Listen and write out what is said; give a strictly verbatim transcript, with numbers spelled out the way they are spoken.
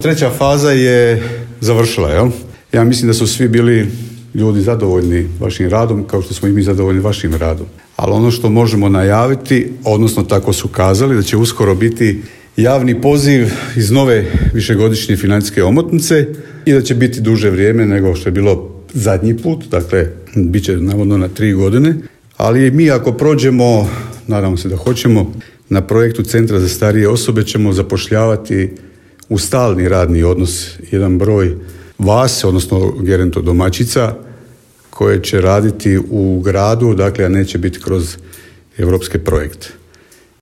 Treća faza je završila, jel? Ja mislim da su svi bili ljudi zadovoljni vašim radom, kao što smo i mi zadovoljni vašim radom. Ali ono što možemo najaviti, odnosno tako su kazali, da će uskoro biti javni poziv iz nove višegodišnje financijske omotnice i da će biti duže vrijeme nego što je bilo zadnji put, dakle, bit će navodno na tri godine. Ali mi ako prođemo, nadamo se da hoćemo, na projektu Centra za starije osobe ćemo zapošljavati u stalni radni odnos jedan broj vas, odnosno geronto domaćica, koje će raditi u gradu, dakle, a neće biti kroz europske projekte.